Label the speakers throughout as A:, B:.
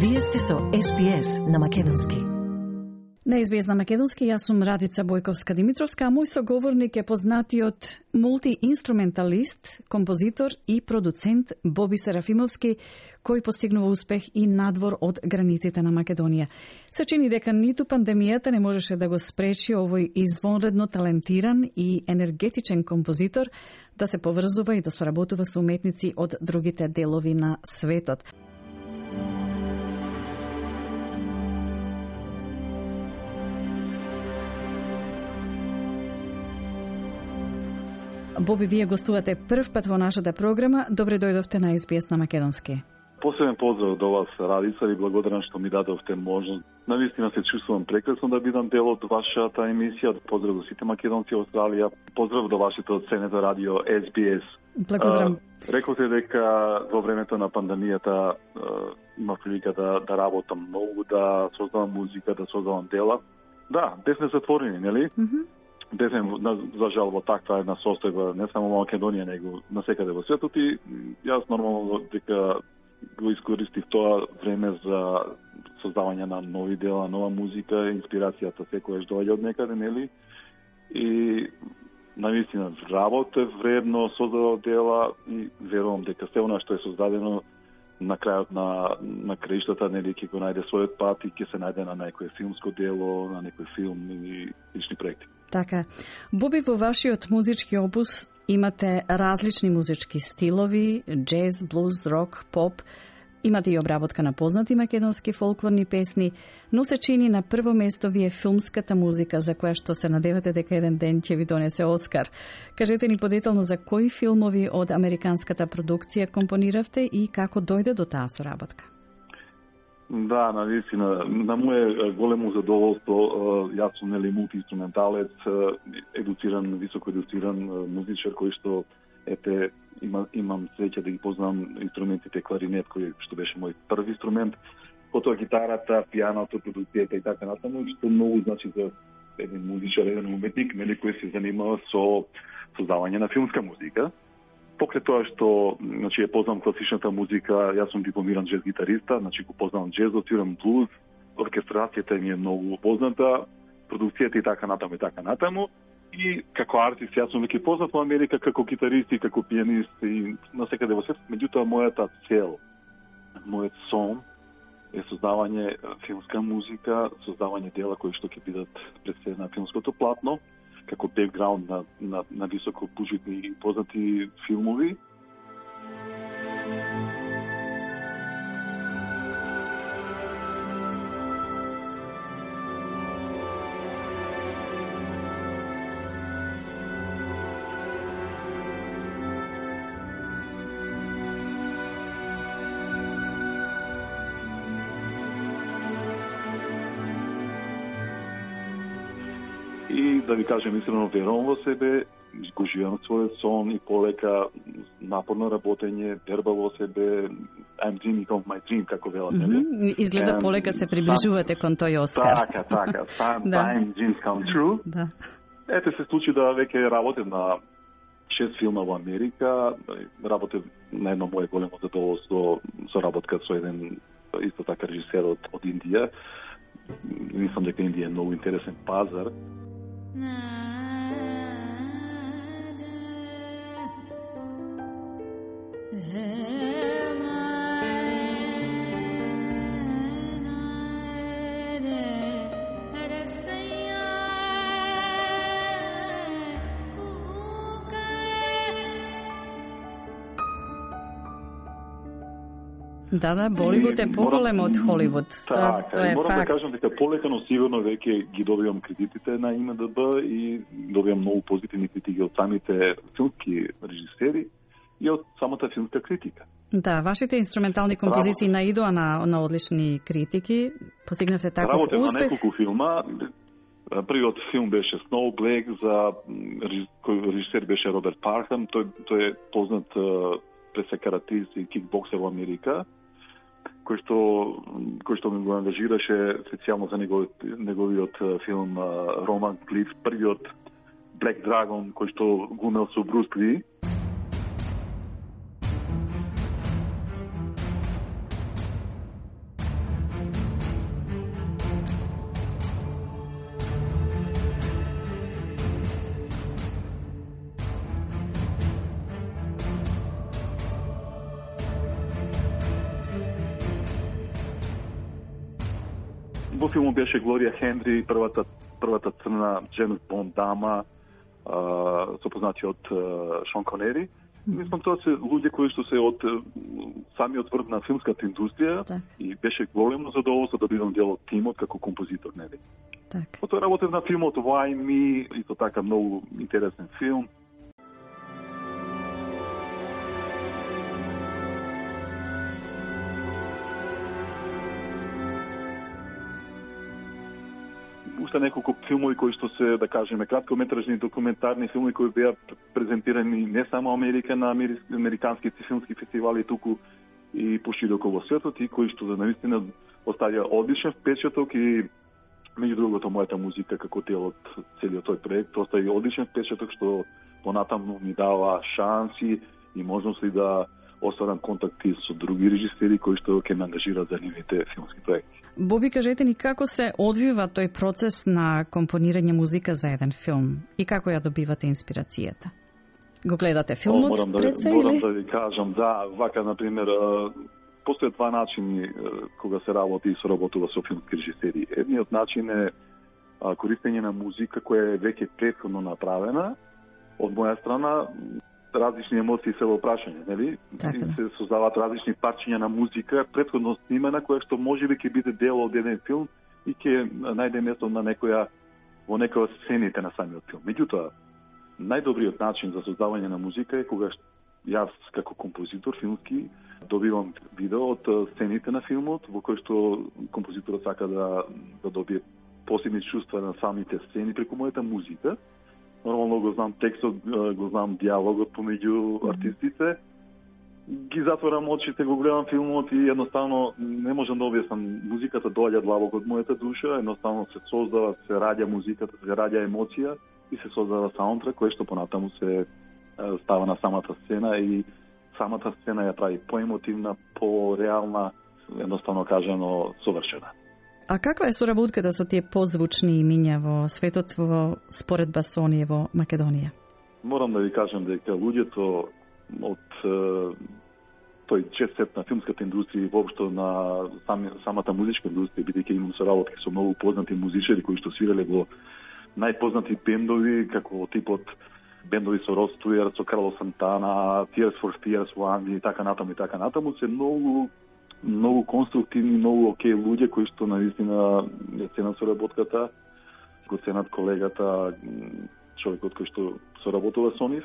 A: Вие сте со СПС на Македонски.
B: На СПС на Македонски, јас сум Радица Бојковска-Димитровска, а мој соговорник е познатиот мултиинструменталист, композитор и продуцент Боби Серафимовски, кој постигнува успех и надвор од границите на Македонија. Се чини дека ниту пандемијата не можеше да го спречи овој извонредно талентиран и енергетичен композитор да се поврзува и да соработува со уметници од другите делови на светот. Боби, вие гостувате прв пат во нашата програма. Добре дојдовте на СПС на Македонски.
C: Посебен поздрав до вас, Радица, и благодарен што ми дадовте можност. Навистина се чувствувам прекрасно да бидам дел од вашата емисија. Поздрав до сите македонци во Австралија. Поздрав до вашето ценето радио СПС.
B: Благодарам.
C: Рековте дека во времето на пандемијата има прилика да работам многу, да создавам музика, да создавам дела. Да, бевме затворени, нели? Бевме, за жал, во таква една состојба, не само во Македонија, него насекаде во светот, и јас нормално дека го искористив тоа време за создавање на нови дела, нова музика, инспирацијата секојаш доаѓа од некаде, нели? И навистина работе вредно, создадов дела и верувам дека се она што е создадено на крајот на краиштата, нели, ќе го најде својот пат и ќе се најде на некој филмско дело, на некој филм и лични проекти.
B: Така. Боби, во вашиот музички опус имате различни музички стилови, джез, блуз, рок, поп. Имате и обработка на познати македонски фолклорни песни, но се чини на прво место ви е филмската музика, за која што се надевате дека еден ден ќе ви донесе Оскар. Кажете ни подетално за кои филмови од американската продукција компониравте и како дојде до таа соработка?
C: Да, навистина, на моje големо задоволство, јас сум нели мултиинструменталец, едуциран, високо едуциран музичар кој што имам среќа да ги познам инструментите кларинет, кој што беше мој први инструмент, потоа гитарата, пијаното, продукцијата и така натаму, што многу значи за еден музичар, еден уметник, нели, кој се занимава со создавање на филмска музика. Покрај тоа што, значи, познам класичната музика, јас сум дипломиран джез гитариста, значи го познавам джезот, свирам блуз, оркестрацијата ми е многу позната, продукцијата и така натаму. И како артист, јас сум веќе познат во Америка како гитарист и како пијанист и насекаде во светот. Меѓутоа, мојата цел, мојот сон е создавање филмска музика, создавање дела кои што ќе бидат представени на филмското платно, како бекграунд на високо буџетни и познати филмови. И да ви кажем искрено, верувам во себе, го живеам својот сон и полека напорно работење, верба во себе, I'm dreaming of my dream, како велат, нели?
B: Изгледа полека се приближувате кон тој Оскар.
C: Така. Time dreams come true.
B: Да.
C: Ете се случи да веќе работам на 6 филма во Америка, работев на едно моје големо задоволство со работка со еден исто така режисер од Индија. Мислам дека Индија е многу интересен пазар.
B: Да, Боливуд е поголем од Холивуд.
C: Така,
B: тоа е
C: морам
B: факт.
C: да кажам дека полека, но сигурно веќе ги добивам кредитите на ИМДБ и добивам многу позитивни критики од самите филмски режисери и од самата филмска критика.
B: Да, вашите инструментални композиции наидоа на одлични критики. Постигнавте таков
C: Работев на
B: успех.
C: неколку филма. Првиот филм беше Snow Black, кој режисер беше Роберт Пархам. Тој е познат пред се каратист и кикбоксер во Америка, кој што ми го ангажираше специјално за неговиот филм Роман Клиф, првиот Black Dragon, кој што го имел со Брус Ли. Во филмот беше Глорија Хендри, првата црна Джеймс Бонд дама, со познатиот Шон Конери. Мислам, тоа се луѓе кои што се од самиот врв на филмската индустрија и беше големо задоволство да бидам дел од тимот како композитор, нели?
B: Так.
C: Потоа работев на филмот Why Me, и тоа така многу интересен филм. Уште неколку филмови кои што се, да кажеме, краткометражни документарни филмови кои беа презентирани не само Америка на американските филмски фестивали, туку и пошироко во светот, и кои што наистина оставија одличен впечаток и меѓу другото мојата музика како дел од целиот тој проект остави одличен впечаток што понатаму ми дава шанси и можности да остварам контакти со други режисери кои што ќе ме ангажираат за нивните филмски проекти.
B: Боби, кажете ни како се одвива тој процес на компонирање музика за еден филм и како ја добивате инспирацијата? Го гледате филмот пред се или?
C: Морам да ви кажам, да, вака, например, постојат два начини кога се работи и соработува со филмски режисери. Едниот начин е користење на музика која е веќе претходно направена. Од моја страна, различни емоции се во прашање, нели?
B: Така, да.
C: Се создаваат различни парчиња на музика, претходно снимена, која што можеби ќе биде дел од еден филм и ќе најде место на во некоја сцените на самиот филм. Меѓутоа, најдобриот начин за создавање на музика е кога јас како композитор филмски добивам видео од сцените на филмот во кој што композиторот сака да добие посебни чувства на самите сцени преку мојата музика. Нормално го знам текстот, го знам диалогот помеѓу артистите. Ги затворам очите, го гледам филмот и едноставно не можам да објаснам. Музиката доаѓа длабоко од мојата душа, едноставно се создава, се раѓа музиката, се раѓа емоција и се создава саундтрек кој што понатаму се става на самата сцена и самата сцена ја прави поемотивна, пореална, едноставно кажано совршена.
B: А каква е соработката со тие позвучни имиња во светот во споредба со оние во Македонија?
C: Морам да ви кажам дека луѓето од тој џет-сет на филмската индустрија и воопшто на самата музичка индустрија, бидејќи имам соработки со многу познати музичари кои што свиреле во најпознати бендови, како типот бендови со Род Стюарт, со Карло Сантана, Tears for Fears во Англија и така натаму, се многу конструктивни, многу окей луѓе кои што навистина ја ценат соработката, го ценат колегата, човекот кој што соработува со нив.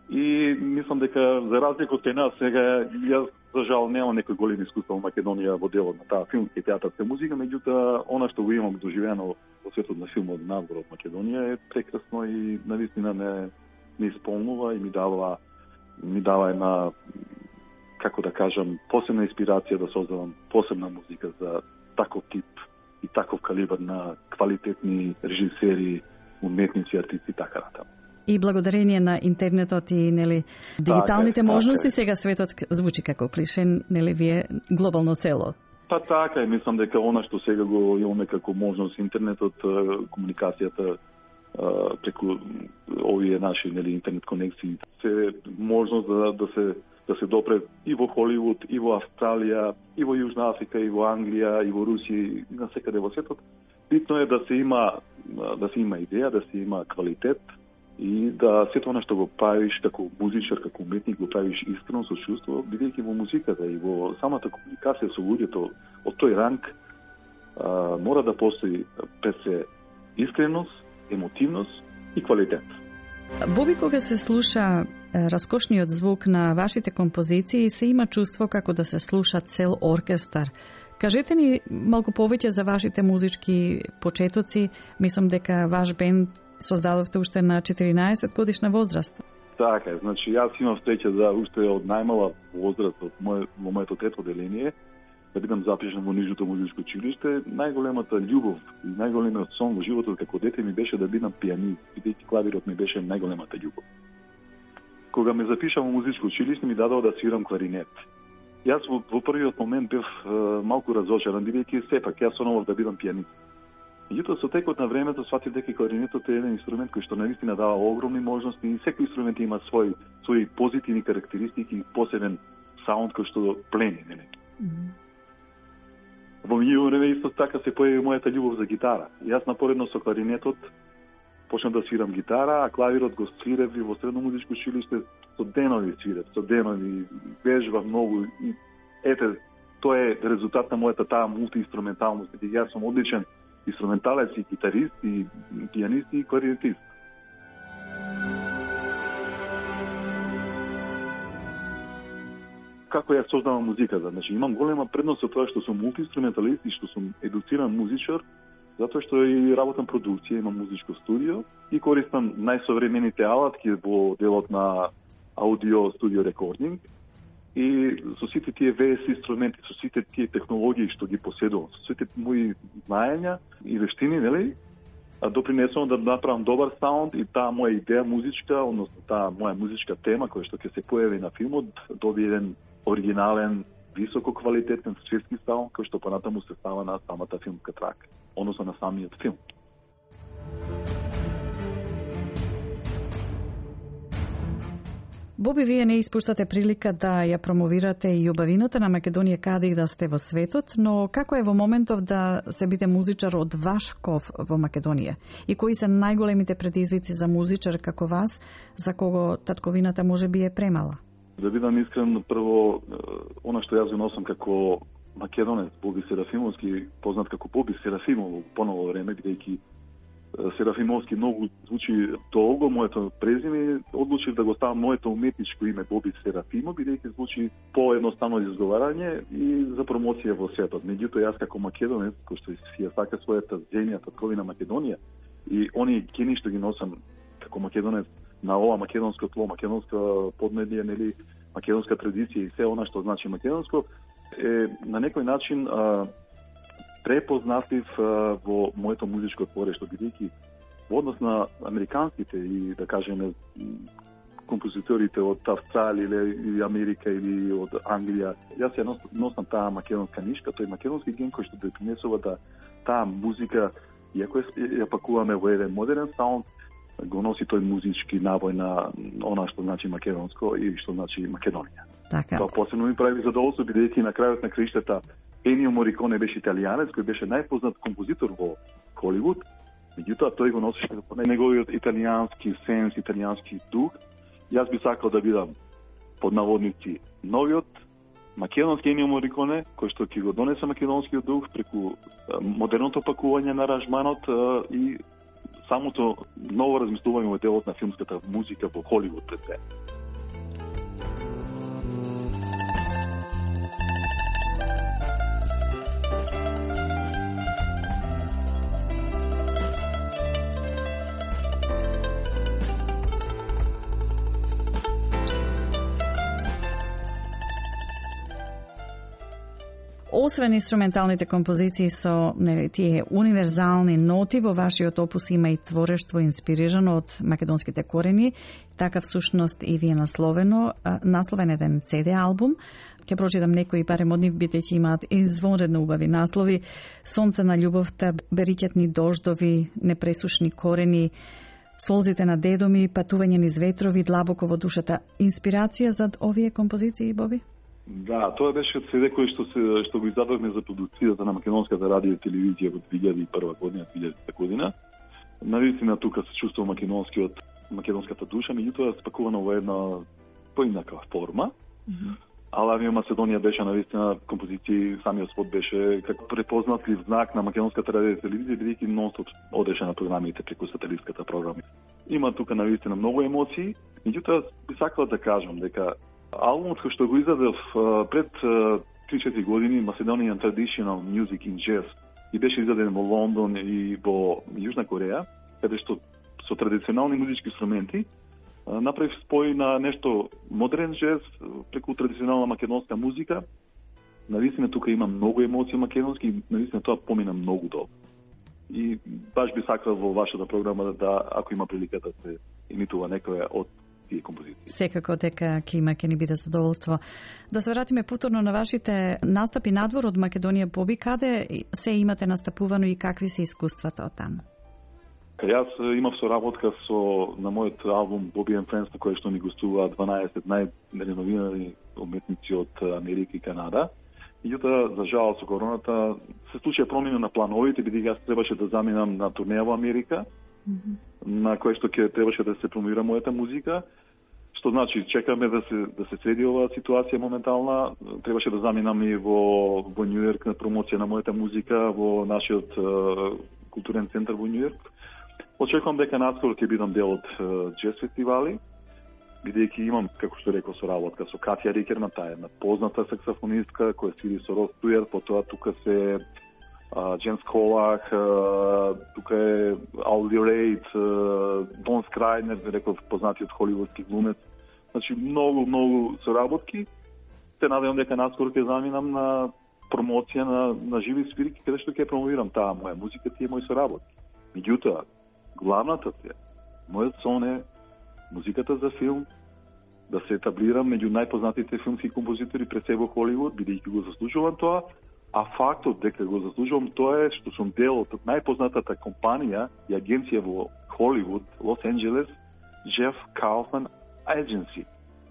C: И мислам дека за разлика од нас сега јас за жал немам некој голем искуство во Македонија во делот на таа филмска и театарска музика, меѓутоа она што го имам доживено во светот на филмот надвор од Македонија е прекрасно и навистина ме исполнува и ми дава една, како да кажам, посебна инспирација да создавам посебна музика за таков тип и таков калибар на квалитетни режисери, уметници, артисти и така натаму.
B: И благодарение на интернетот и дигиталните можности, сега светот звучи како клише, вие глобално село.
C: Па така е, мислам дека она што сега го имаме како можност интернетот, комуникацијата преку овие наши интернет конекции, се можност да се допре и во Холивуд, и во Австралија, и во Јужна Африка, и во Англија, и во Русија, и насекаде во светот. Битно е да се има идеја, да се има квалитет и да сето она што го правиш како музичар, како уметник, го правиш искрено со чувство, бидејќи во музиката и во самата комуникација со луѓето од тој ранг мора да постои пред се искреност, емотивност и квалитет.
B: Боби, кога се слуша раскошниот звук на вашите композиции, се има чувство како да се слуша цел оркестар. Кажете ни малку повеќе за вашите музички почетоци. Мислам дека ваш бенд создадовте уште на 14 годишна возраст.
C: Така е, значи јас имам среќа да уште од најмала возраст во моето трето оделение да бидам запишан во нижното музичко училиште. Најголемата љубов и најголемиот сон во животот како дете ми беше да бидам пианист, бидејќи клавирот ми беше најголемата љубов. Кога ме запиша во музичко училиште ми дадоа да свирам кларинет. Јас во првиот момент бев малку разочаран, бидејќи сепак јас сонував да бидам пианист. Меѓутоа со текот на времето сватив дека кларинетот е еден инструмент кој што навистина дава огромни можности и секој инструмент има своји позитивни карактеристики и посебен саунд кој што плени, нели? Во во меѓу време исто така се појави мојата љубов за гитара. Јас напоредно со кларинетот почнав да свирам гитара, а клавирот го свирев и во средно музичко училиште со денови свирев, со денови, вежбав многу и ете, тоа е резултат на мојата таа мултиинструменталност. Јас сум одличен инструменталец и гитарист и пијанист и кларинетист. Како ја создавам музиката? Значи, имам голема предност од тоа што сум мултиинструменталист и што сум едуциран музичар, затоа што и работам продукција, имам музичко студио и користам најсовремените алатки во делот на аудио студио рекординг и со сите тие VS инструменти, со сите тие технологии што ги поседувам, со сите мои знаења и вештини, нели? Допринесувам да направам добар саунд и таа моја идеја музичка, односно таа моја музичка тема која што ќе се појави на филмот, добие еден оригинален, високо квалитетен светски саунд кој што понатаму се става на самата филмска трака, односно на самиот филм.
B: Боби, вие не испуштате прилика да ја промовирате и убавината на Македонија каде и да сте во светот, но како е во моментов да се биде музичар од ваш ков во Македонија? И кои се најголемите предизвици за музичар како вас, за кого татковината може би е премала?
C: Да бидам искрен, прво, она што јас го носам како македонец, Боби Серафимовски, познат како Боби Серафимов по ново време, бидејќи Серафимовски многу звучи долго, моето презиме, одлучив да го ставам моето уметничко име Боби Серафимов, бидејќи звучи поедноставно изговарање и за промоција во светот. Меѓутоа, јас како македонец, кој што ја сака својата земја, татковина Македонија, и оние гени што ги носам како македонец на ова македонско тло, македонска поднебје, нели, македонска традиција и се она што значи македонско, е на некој начин препознатлив во моето музичко творештво, бидејќи во однос на американските и, да кажеме, композиторите од Австралија или Америка или од Англија, јас ја носам таа македонска нишка, тој македонски ген кој што допринесува да таа музика, иако ја пакуваме во еден модерен саунд, го носи тој музички набој на она што значи македонско и што значи Македонија.
B: Така.
C: Тоа посебно ми прави задоволство, бидејќи на крајот на краиштата Енио Мориконе беше италијанец, кој беше најпознат композитор во Холивуд. Меѓутоа, тој го носеше неговиот италијански сенс, италијански дух. Јас би сакал да бидам, под наводници, новиот македонски Енио Мориконе, кој што ќе го донесе македонскиот дух преку модерното пакување на аранжманот и самото ново размислување во делот на филмската музика во Холивуд пред се.
B: Освен инструменталните композиции со тие универзални ноти, во вашиот опус има и творештво инспирирано од македонските корени, така всушност и ви е насловен еден CD албум. Ќе прочитам некои барем од нив, бидејќи имаат извонредно убави наслови: Сонце на љубовта, Бериќетни дождови, Непресушни корени, Солзите на дедо ми, Патување низ ветрови, Длабоко во душата. Инспирација за овие композиции, Боби?
C: Да, тоа беше CD кој што го издадовме за продукцијата на македонската радио и телевизија во 2001 година, 2000 година. Навистина тука се чувствува македонската душа, меѓутоа спакувано во една поинаква форма. Ала Авио Македонија беше навистина композиција, самиот спот беше како препознатлив знак на македонската радио и телевизија, бидејќи нон-стоп одеше на програмите преку сателитската програма. Има тука навистина многу емоции, меѓутоа би сакала да кажам дека албумот кој што го издадов пред 3-4 години, Macedonian Traditional Music in Jazz, и беше издаден во Лондон и во Јужна Кореја, каде што со традиционални музички инструменти направив спој на нешто модерен джез преку традиционална македонска музика. Навистина тука има многу емоции македонски и навистина тоа помина многу добро. И баш би сакал во вашата програма да, ако има прилика да се имитува некоја од тие композиции.
B: Секако дека ќе ни биде задоволство. Да се вратиме повторно на вашите настапи надвор од Македонија, Боби, каде се имате настапувано и какви се искуствата од таму?
C: Јас имав соработка на мојот албум Bobby and Friends, на кој што ни гостуваат 12 најреновирани уметници од Америка и Канада. Меѓутоа, за жал со короната се случија промена на плановите, бидејќи јас требаше да заминам на турнеја во Америка, на кој што ќе требаше да се промовира мојата музика. Што значи, чекаме да се среди оваа ситуација моментална. Требаше да заминам и во Њујорк на промоција на мојата музика во нашиот културен центар во Њујорк. Очекувам дека наскоро ќе бидам дел од джез фестивали, бидејќи имам, како што реков, соработка со Катја Рикерман, таа е една позната саксофонистка која свири со Рос Туер, потоа тука се Джеймс Колах, тука е Алди Рейд, Дон Скрайнер, реков познатиот холивудски глумец. Значи, многу соработки. Се надевам дека наскоро ќе заминам на промоција на живи свирки, каде што ќе промовирам таа моја музика, тие мои соработки. Меѓутоа, главната цел, мојот сон е музиката за филм да се етаблирам меѓу најпознатите филмски композитори пред се во Холивуд, бидејќи го заслужувам тоа, а фактот дека го заслужувам тоа е што сум дел од најпознатата компанија и агенција во Холивуд, Лос Анџелес, Jeff Kaufman Agency.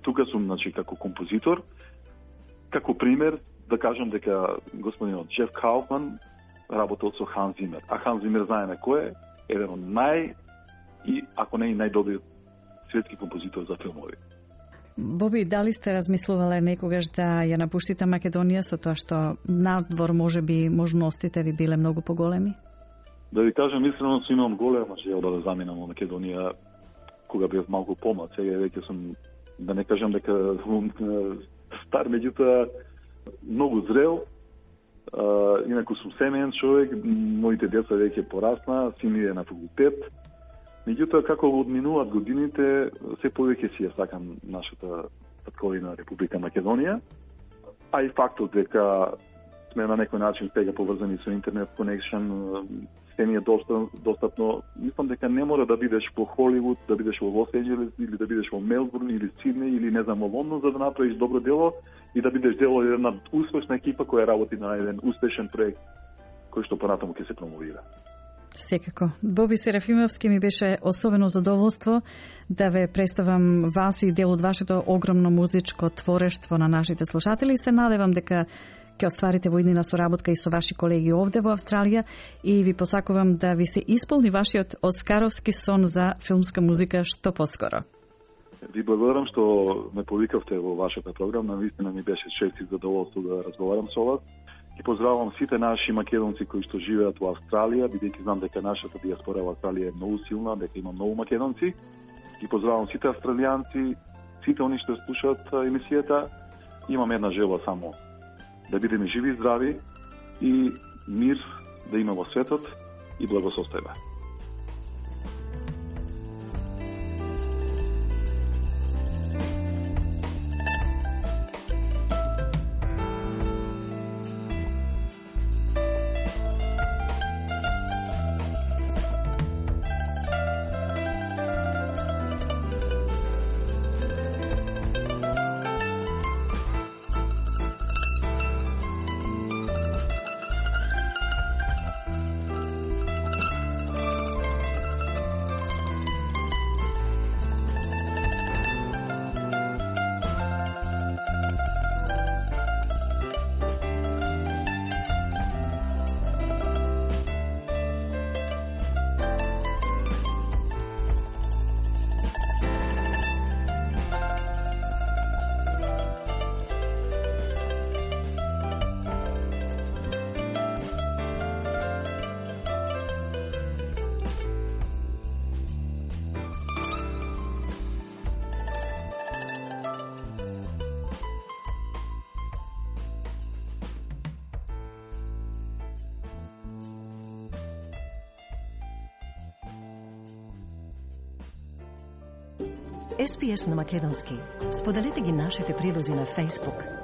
C: Тука сум, значи, како композитор, како пример да кажам дека господинот Jeff Kaufman работел со Ханс Зимер. А Ханс Зимер знаеме кој е? Еден од и ако не и најдобриот светски композитор за филмови.
B: Боби, дали сте размислувале некогаш да ја напуштите Македонија со тоа што надвор можеби можностите ви биле многу поголеми?
C: Да ви кажам искрено, имам голема желба да заминам во Македонија кога бев малку помлад. Сега веќе сум, да не кажам дека сум стар, меѓутоа многу зрел. Инаку сум семеен човек, моите деца веќе порасна, син ми е на факултет. Меѓутоа, како одминуваат годините, се повеќе си ја сакам нашата татковина Република Македонија, а и фактот дека сме на некој начин сега поврзани со интернет конекшн, се ни е достапно. Мислам дека не мора да бидеш во Холивуд, да бидеш во Лос Анџелес или да бидеш во Мелбурн или Сиднеј или не знам во Лондон за да направиш добро дело и да бидеш дел од една успешна екипа која работи на еден успешен проект кој што понатаму ќе се промовира.
B: Секако. Боби Серафимовски, ми беше особено задоволство да ве представам вас и дел од вашето огромно музичко творештво на нашите слушатели. Се надевам дека ќе остварите воиднина соработка и со ваши колеги овде во Австралија и ви посакувам да ви се исполни вашиот оскаровски сон за филмска музика што поскоро.
C: Ви благодарам што ме повикавте во вашата програма. Навистина ми беше чест и задоволство да разговарам со вас. И поздравувам сите наши македонци кои што живеат во Австралија, бидејќи знам дека нашата диаспора во Австралија е многу силна, дека има многу македонци. И поздравувам сите австралијанци, сите они што слушаат емисијата. Имам една желба само, да бидеме живи и здрави и мир да има во светот и благосостојба.
A: SPS на македонски. Споделете ги нашите прилози на Facebook,